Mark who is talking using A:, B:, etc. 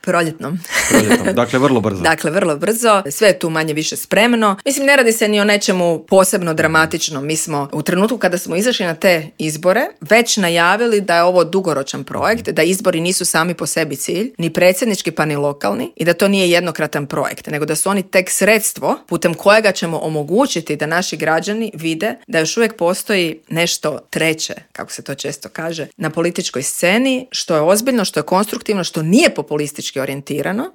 A: Proljetnom.
B: Dakle, vrlo brzo.
A: Dakle, vrlo brzo. Sve je tu manje više spremno. Mislim, ne radi se ni o nečemu posebno dramatičnom. Mi smo u trenutku kada smo izašli na te izbore već najavili da je ovo dugoročan projekt, da izbori nisu sami po sebi cilj, ni predsjednički pa ni lokalni, i da to nije jednokratan projekt, nego da su oni tek sredstvo putem kojega ćemo omogućiti da naši građani vide da još uvijek postoji nešto treće, kako se to često kaže, na političkoj sceni, što je ozbiljno, što je konstruktivno, što nije populistički orijentirano